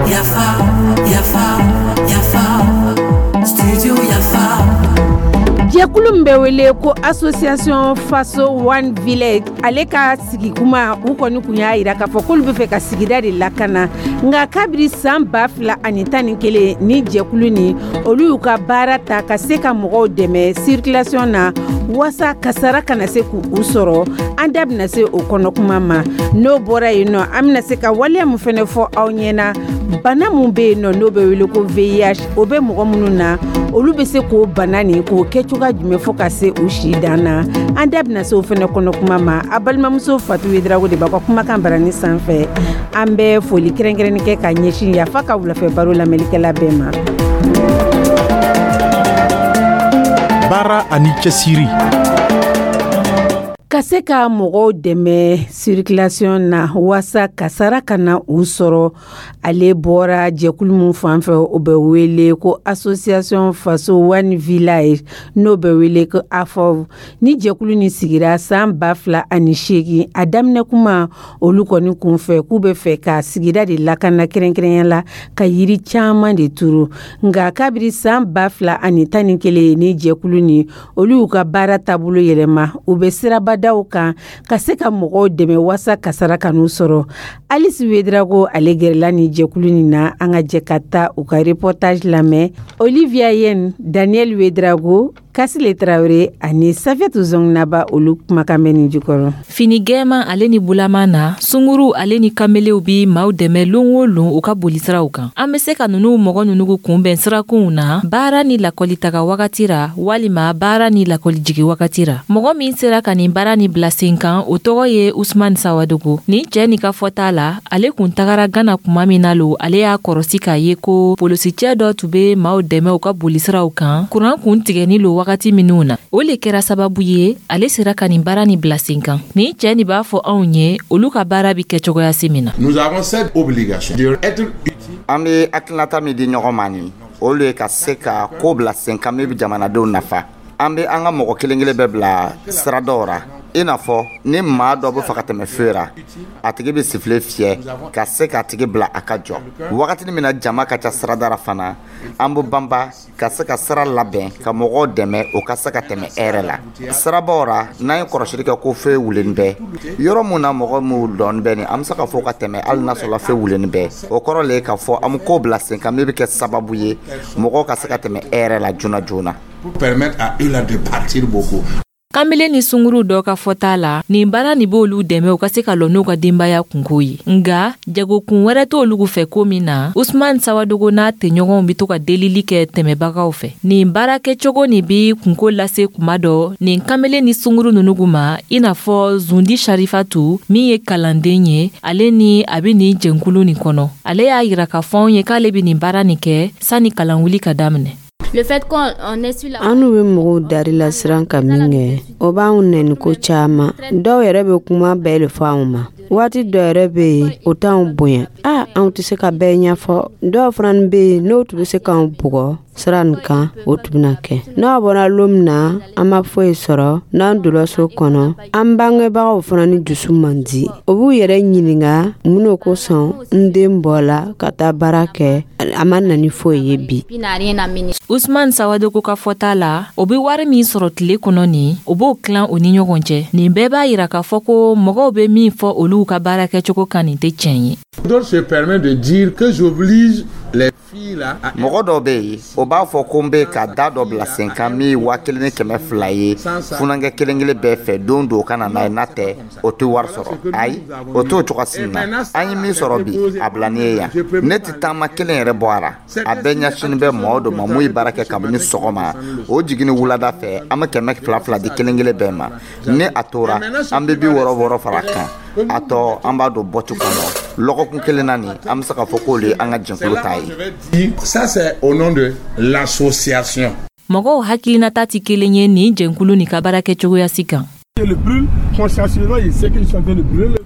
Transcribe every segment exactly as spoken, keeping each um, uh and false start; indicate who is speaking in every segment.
Speaker 1: Yafa, yafa, yafa, studio Yafa.
Speaker 2: Jɛkulu min bɛ wele ko Association Faso One Village, ale ka sigikuma, u kɔni kun y'a yira k'a fɔ k'olu bɛ fɛ ka sigida de lakana. Nka kabiri san ba fila ani tan ni kelen, ni jɛkulu ni olu y'u ka baara ta ka se ka mɔgɔw dɛmɛ circulation na waasa kasara kana se k'u sɔrɔ. An da bɛna se o kɔnɔ kuma ma. N'o bɔra yen nɔ, an bɛna se ka waleya mun fɛnɛ fɔ aw ɲɛna, bana mun bɛ yen nɔ, n'o bɛ wele ko V I H, o bɛ mɔgɔ minnu na, olu bɛ se k'o bana nin k'o kɛ cogoya jumɛn fo ka se u si dan na? An da bɛna se o fɛnɛ kɔnɔ kuma ma. A balimamuso Fatu Yedrago de b'a ka kumakan barani sanfɛ. An bɛ foli kɛrɛnkɛrɛnni kɛ ka ɲɛsin Yafa ka wulafɛ baro lamɛnlikɛla bɛɛ ma.
Speaker 3: Baara ani cɛsiri.
Speaker 2: Ka se ka mɔgɔw dɛmɛ circulation na waasa kasara kana u sɔrɔ, ale bɔra jɛkulu min fan fɛ, o bɛ wele ko Association Faso One Village, n'o bɛ wele ko AFOV. Ni jɛkulu ni sigira san ba fila ani seegin, a daminɛ kuma, olu kɔni kun fɛ k'u bɛ fɛ ka sigida de lakana, kɛrɛnkɛrɛnya la ka yiri caman de turu. Nka kabiri san ba fila ani tan ni kelen, ni jɛkulu ni olu y'u ka baara taabolo yɛlɛma, u bɛ sirabadaw kan ka se ka mɔgɔw dɛmɛ waasa kasara kan'u sɔrɔ. Alice Wedrago, ale gɛrɛla ni jɛkulu nin na. An ka jɛ ka taa u ka reportage lamɛn. Olivia Yen, Daniel Wedrago, Kasile Tarawele ani Safetu Zongnaba, olu kumakan bɛ nin jukɔrɔ.
Speaker 4: Fini gɛɛman ale ni bulama na, sunguru ale ni kamelew bi maaw dɛmɛ lon o lon u ka bolisiraw kan. An be se ka nunu mɔgɔ nunu kunbɛn sirakunw na, baara ni lakɔlitaga wagati ra, walima baara ni lakɔlijigi wagati ra. Mɔgɔ min sera ka nin baara ni bila sen kan, o tɔgɔ ye Usman Sawadogo. Nin cɛɛ nin ka fɔta la, ale kun tagara Gana kuma min na lo, ale y'a kɔrɔsi k'a ye ko polisicɛ dɔ tun be maaw dɛmɛ u ka bolisiraw kan, kuran kun tigɛni lo wagati minw na. O le kɛra sababu ye ale sera ka nin baara ni bila sen kan. Nin cɛɛ nin b'a fɔ anw ye olu ka baara bi kɛ cogoya si min na.
Speaker 5: Nous avons cette obligation d'être
Speaker 6: An bɛ hakilinata min di ɲɔgɔn ma nin, o le ye ka se ka ko bila sen kan min bɛ jamanadenw nafa. An bɛ an ka mɔgɔ kelen kelen bɛɛ bila sira dɔw ra, i n'a fɔ ni maa dɔ bɛ fɛ ka tɛmɛ feu ra, a tigi bɛ sifflet fiyɛ ka se k'a tigi bila a ka jɔ. Wagati min na jama ka ca sirada ra fana, an bɛ banba ka se ka sira labɛn ka mɔgɔw dɛmɛ o ka se ka tɛmɛ hɛrɛ la sirabaw ra. N'an ye kɔlɔsili kɛ ko feu wulenni bɛ yɔrɔ mun na, mɔgɔ minnu dɔɔni bɛ nin, an bɛ se ka fɔ ka tɛmɛ hali n'a sɔrɔ feu wulenni bɛ. O kɔrɔ le ye k'a fɔ an bɛ ko bila sen kan min bɛ kɛ sababu ye mɔgɔw ka se ka tɛmɛ hɛrɛ la joona joona.
Speaker 5: Pour permettre à eux là de partir beaucoup.
Speaker 4: Kanbele ni sunguru dɔ ka fɔta la, nin baara nin b'olu dɛmɛ u ka se ka lɔ n'u ka denbaya kunko ye. Nga jagokun wɛrɛ t'olu fɛ ko min na, Usman Sawadogo n'a tɛɲɔgɔnw be to ka delili kɛ tɛmɛbagaw fɛ. Nin baarakɛcogo nin bi kunko lase kuma dɔ nin kanbele ni sunguru nunu ma, i n'a fɔ Zundi Sharifatu min ye kalanden ye, ale ni a be nin jɛnkulu nin kɔnɔ. Ale y'a yira k'a fɔ anw ye k'ale be nin baara nin kɛ sanni kalanwuli ka daminɛ.
Speaker 7: An n'u bɛ mɔgɔw dari la siran ka min kɛ, o b'anw nɛni ko caman. Dɔw yɛrɛ bɛ kuma bɛɛ de fɔ anw ma. Waati dɔ yɛrɛ bɛ yen, o t'anw bonya. A anw tɛ se ka bɛɛ ɲɛfɔ. Dɔw fana bɛ yen, n'o tun bɛ se k'anw bugɔ sira nin kan, o tun bɛna kɛ. N'a bɔra lon min na an ma foyi sɔrɔ, n'an donna so kɔnɔ, an bangebagaw fana ni dusu man di. O b'u yɛrɛ ɲininka mun n'o kosɔn n den bɔla ka taa baara kɛ, a ma na ni foyi ye bi.
Speaker 4: Usman Sawadogo ka fɔta la, o be wari min sɔrɔ tile kɔnɔ nin, o b'o tilan o ni ɲɔgɔn cɛ. Nin bɛɛ b'a yira k'a fɔ ko mɔgɔw be min fɔ olu ka baara kɛcogo kan, nin tɛ tiɲɛ ye.
Speaker 5: D'autres se permettent de dire que j'oblige les filles là à
Speaker 6: Mɔgɔ dɔw bɛ yen, o b'a fɔ ko n bɛ ka da dɔ bila sen kan min ye waa kelen ni kɛmɛ fila ye funankɛ kelen kelen bɛɛ fɛ don don ka na n'a ye, n'a tɛ o tɛ wari sɔrɔ. Ayi, o t'o cogo si na. An ye min sɔrɔ bi, a bila ni ye yan, ne tɛ taama kelen yɛrɛ bɔ a la. A bɛɛ ɲɛsinnen bɛ mɔgɔw dɔ ma mun ye baara kɛ kabini sɔgɔma o jiginni wulada fɛ. An bɛ kɛmɛ fila fila di kelen kelen bɛɛ ma. Ni a tora, an bɛ bi wɔɔrɔ wɔɔrɔ fara a kan. A tɔ, an b'a don bɔti kɔnɔ. Lɔgɔkun kelen na nin, an bɛ se k'a fɔ k'olu ye an ka jɛkulu ta ye.
Speaker 5: Ça, c'est au nom de l'association.
Speaker 4: Mɔgɔw hakilinata tɛ kelen ye nin jɛnkulu nin ka baara kɛcogoya si kan.
Speaker 8: Le brûle consciencieusement, il sait qu'ils sont en train de brûler.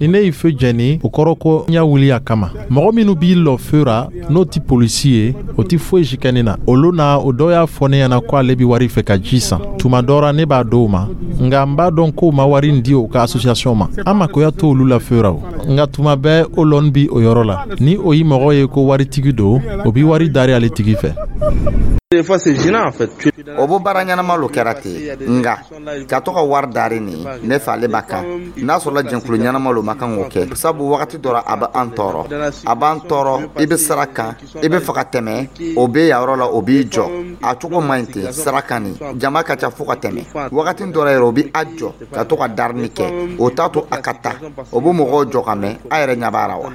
Speaker 3: Ni ne ye feu jɛni, o kɔrɔ ko n y'a wuli a kama. Mɔgɔ minnu b'i lɔ feu ra, n'o ti polisi ye, o ti foyi si kɛ ne na. Olu na, o dɔw y'a fɔ ne ɲɛna ko ale bi wari fɛ ka ji san. Tuma dɔ ra, ne b'a d'o ma, nka n b'a dɔn k'o ma wari in di o ka association ma. An makoya t'olu la feu ra o. Nka tuma bɛɛ, o lɔn bi o yɔrɔ la. Ni o yi mɔgɔ ye ko waritigi don, o bi wari dari ale tigi fɛ.
Speaker 6: O bo baara ɲɛnama lo kɛra ten, nga ka to ka wari dari nin, ne fɛ ale b'a kan n'a sɔrɔla jɛnkulu ɲɛnama lo ma kan k'o kɛ, sabu wagati dɔ ra a bɛ an tɔɔrɔ, a b'an tɔɔrɔ. I bɛ sira kan, i bɛ fɛ ka tɛmɛ, o bɛ yan yɔrɔ la, o b'i jɔ a cogo man ɲi ten. Sira kan nin, jama ka ca fo ka tɛmɛ. Wagati dɔ la yɛrɛ, o bɛ a jɔ ka to ka darini kɛ, o t'a to a ka taa, o bɛ mɔgɔw jɔ ka mɛn. A yɛrɛ ɲɛ b'a la wa?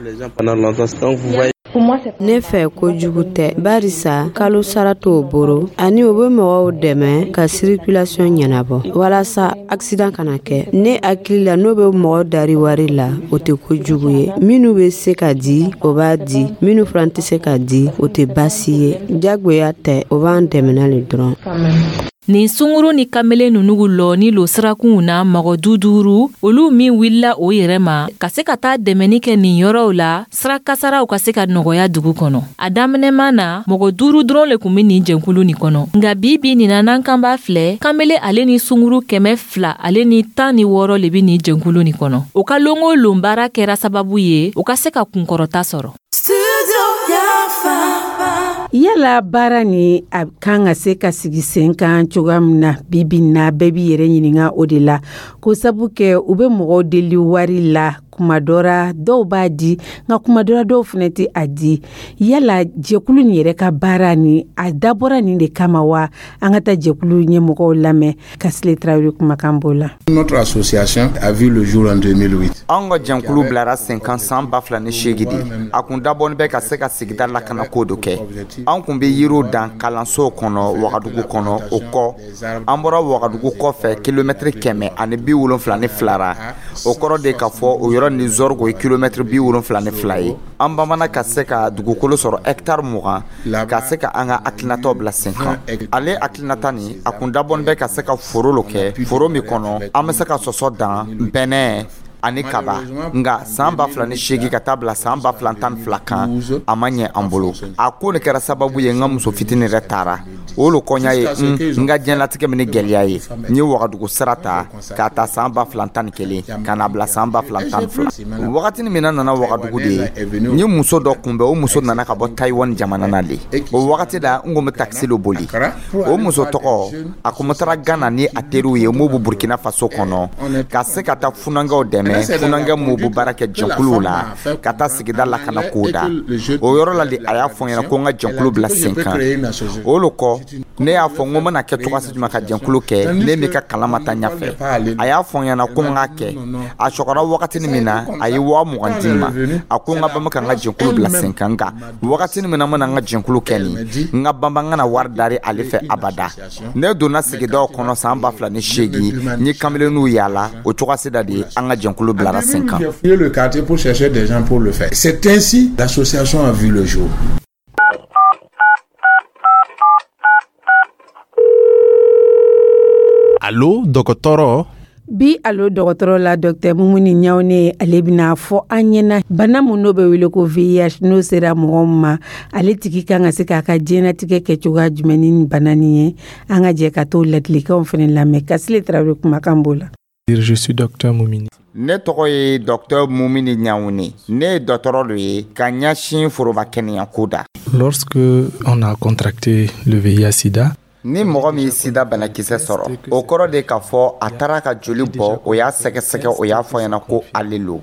Speaker 7: Ne fɛ, kojugu tɛ, barisa kalo sara t'o boro, ani o bɛ mɔgɔw dɛmɛ ka circulation ɲɛnabɔ walasa accident kana kɛ. Ne hakili la, n'o bɛ mɔgɔ dari wari la, o tɛ kojugu ye. Minnu bɛ se ka di, o b'a di. Minnu fana tɛ se ka di, o tɛ baasi ye. Jagoya tɛ, o b'an dɛmɛna le dɔrɔn.
Speaker 4: Nin sunguru ni kamelen nunu lɔ ni lo sirakunw na, mɔgɔ du duuru olu min wulila o yɛrɛ ma ka se ka taa dɛmɛni kɛ nin yɔrɔw la, sira kasaraw ka se ka nɔgɔya dugu kɔnɔ. A daminɛman na, mɔgɔ duuru dɔrɔn le kun be nin jɛnkulu nin kɔnɔ, nka bi bi nin na, n'an kan b'a filɛ, kamele ale ni sunguru kɛmɛ fila ale ni tan ni wɔɔrɔ le be nin jɛnkulu nin kɔnɔ. O ka lon o lon baara kɛra sababu ye o ka se ka kunkɔrɔta sɔrɔ.
Speaker 2: Yala baara ni a kan ka se ka sigi sen kan cogoya min na bibi na, bɛɛ b'i yɛrɛ ɲininka o de la, ko sabu kɛ u bɛ mɔgɔw deli wari la. Kuma dɔ ra, dɔw b'a di, nka kuma dɔ ra, dɔw fana tɛ a di. Yala jɛkulu nin yɛrɛ ka baara ni a dabɔra nin de kama wa? An ka taa jɛkulu ɲɛmɔgɔw lamɛn. Kasile Tarawele kumakan b'o la.
Speaker 5: Notre association a vu le jour en deux mille huit.
Speaker 6: Anw ka jɛnkulu bilara sen kan san ba fila ni seegi de. A kun dabɔni bɛ ka se ka sigida lakana ko dɔ kɛ. An kun bɛ yiriw dan kalansow kɔnɔ Wagadugu kɔnɔ. O kɔ, an bɔra Wagadugu kɔfɛ kilomɛtiri kɛmɛ ani bi wolonfila ni fila ra. O kɔrɔ de k'a fɔ o yɔrɔ ni Zɔrgo ye kilomɛtiri bi wolonfila ni fila ye. An bamana ka se ka dugukolo sɔrɔ hɛkitari mugan ka se ka an ka hakilinataw bila sen kan. Ale hakilinata nin, a kun dabɔni bɛ ka se ka foro lo kɛ, foro min kɔnɔ an bɛ se ka sɔsɔ dan, bɛnɛ ani kaba. Nka san ba fila ni seegin ka taa bila san ba fila tan ni fila kan, a ma ɲɛ an bolo. A ko nin kɛra sababu ye, n ka muso fitinin yɛrɛ taara. O lo kɔɲa ye n ka diɲɛlatigɛ min ni gɛlɛya ye. N ye Wagadugu sira ta k'a ta san ba fila tan ni kelen ka na bila san ba fila tan ni fila. Wagatini min na nana Wagadugu de ye, n ye muso dɔ kunbɛn. O muso nana ka bɔ Tayiwani jamana na le. O wagati la, n kun bɛ takisi lo boli. O muso tɔgɔ, a kun bɛ taara Gana ni a teriw ye m'u bɛ Burkina Faso kɔnɔ, ka se ka taa funankɛw dɛmɛ, funankɛ m'u bɛ baara kɛ jɛnkuluw la, ka taa sigida lakana kow da. O yɔrɔ la de, a y'a fɔ n ɲɛna ko n ka jɛnkulu bila sen kan. O lo kɔ, ne y'a fɔ n ko n bɛna kɛ cogoya jumɛn ka jɛnkulu kɛ, ne m'i ka kalan ma taa ɲɛfɛ. A y'a fɔ n ɲɛna ko n k'a kɛ. A sɔgɔra wagatini min na, a ye waa mugan di n ma. A ko n ka banba ka n ka jɛnkulu bila sen kan. Nka wagatini min na n bɛna n ka jɛnkulu kɛ nin, n ka banba n kana wari dari ale fɛ abada. Ne donna sigidaw kɔnɔ san ba fila ni seegin, n ye kamelenninw yaala. O cogoya da de ye an ka jɛnkulu bilara sen kan.
Speaker 5: Le quartier pour chercher des gens pour le faire. C'est ainsi l'association a vu le jour.
Speaker 3: Alo dɔgɔtɔrɔ.
Speaker 2: Bi alo dɔgɔtɔrɔ la, Docteur Mumuni Ɲawune, ale bɛna fɔ an ɲɛna bana mun n'o bɛ wele ko V I H, n'o sera mɔgɔ min ma, ale tigi kan ka se k'a ka diɲɛnatigɛ kɛ cogoya jumɛn ni bana nin ye. An ka jɛ ka t'o ladilikanw fana lamɛn. Kasile Tarawele kumakan b'o la.
Speaker 8: Je suis docteur Moumini.
Speaker 6: Ne tɔgɔ ye docteur Mumini Ɲawune. Ne ye dɔgɔtɔrɔ dɔ ye ka ɲɛsin foroba kɛnɛyako da.
Speaker 8: Lorsque on a contracté le V I H-Sida,
Speaker 6: Ni mɔgɔ min ye sida banakisɛ sɔrɔ, o kɔrɔ de k'a fɔ a taara ka joli bɔ, o y'a sɛgɛsɛgɛ, o y'a fɔ ɲɛna ko ale lo.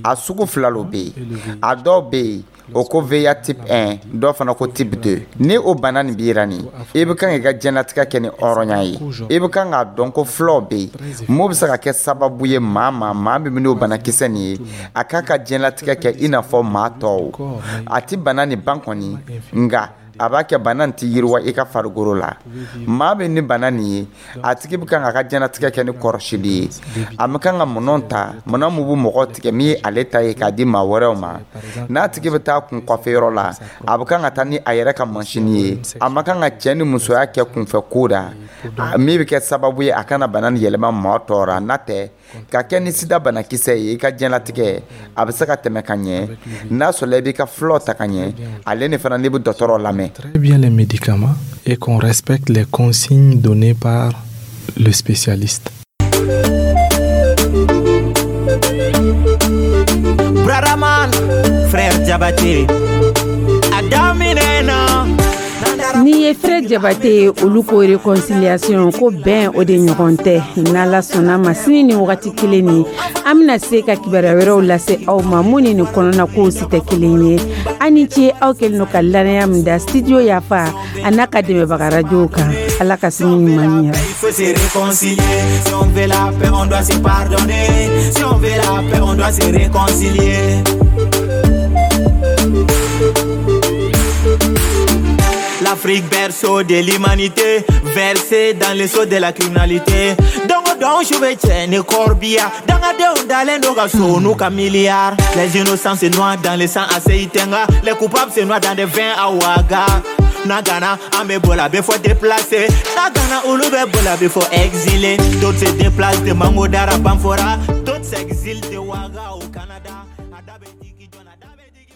Speaker 6: A sugu fila lo bɛ yen. A dɔw bɛ yen, o ko V I H type un, dɔw fana ko type deux. Ni o bana nin b'i ra nin, i bɛ kan k'i ka diɲɛlatigɛ kɛ ni hɔrɔnya ye. I bɛ kan k'a dɔn ko fulaw bɛ yen mun bɛ se ka kɛ sababu ye maa ma, maa min bɛ n'o banakisɛ nin ye, a k'a ka diɲɛlatigɛ kɛ i n'a fɔ maa tɔw. A ti bana nin ban kɔni, nka A b'a kɛ bana nin tɛ yiriwa i ka farikolo la. Maa bɛ ni bana nin ye, a tigi bɛ kan k'a ka diɲɛlatigɛ kɛ ni kɔrɔsili ye. A bɛ kan ka minɛnw ta, minɛn min bɛ mɔgɔ tigɛ min ye ale ta ye k'a di maa wɛrɛw ma. N'a tigi bɛ taa kun kɔfɛ yɔrɔ la, a bɛ kan ka taa ni a yɛrɛ ka masini ye. A ma kan ka cɛ ni musoya kɛ kunfɛ ko da min bɛ kɛ sababu ye a kana bana nin yɛlɛma maa tɔw ra. N'a tɛ ka kɛ ni sida banakisɛ ye, i ka diɲɛlatigɛ a bɛ se ka tɛmɛ ka ɲɛ, n'a sɔrɔla i b'i ka furaw ta ka ɲɛ, ale ni fana n'i bɛ dɔgɔtɔrɔ lamɛn.
Speaker 8: Très bien les médicaments et qu'on respecte les consignes données par le spécialiste.
Speaker 9: Brother frère Diabaté, a daminɛ na.
Speaker 2: N'i ye Frère Jabate ye, olu ko réconciliation, ko bɛn, o de ɲɔgɔn tɛ. N'Ala sɔnna ma, sini ni wagati kelen ni, an bɛna se ka kibaruya wɛrɛw lase aw ma mun ni nin kɔnɔna kow si tɛ kelen ye. An ni ce, aw kɛlen don ka lanaya min da Studio Yafa a n'a ka dɛmɛbaga rajow kan. Ala ka sini ɲuman ɲɛ.
Speaker 9: Il faut se réconcilier. Si on veut la paix, on doit se pardonner. Si on veut la paix, on doit se réconcilier. L'Afrique, berceau de l'humanité, versée dans les seaux de la criminalité. Donc, donc, je vais tirer corbillard. Dangadenw dalen do ka so n'u ka milliards. Les innocents se noient dans le sang à Seytenga. Les coupables se noient dans des vins à Ouaga. Nagana, an bɛ bɔla bɛ fɔ déplacé. Nagana, olu bɛ bɔla bɛ fɔ exilé. D'autres se déplacent de Mangodara, Banfora. D'autres s'exilent de Ouaga au Canada. A da bɛ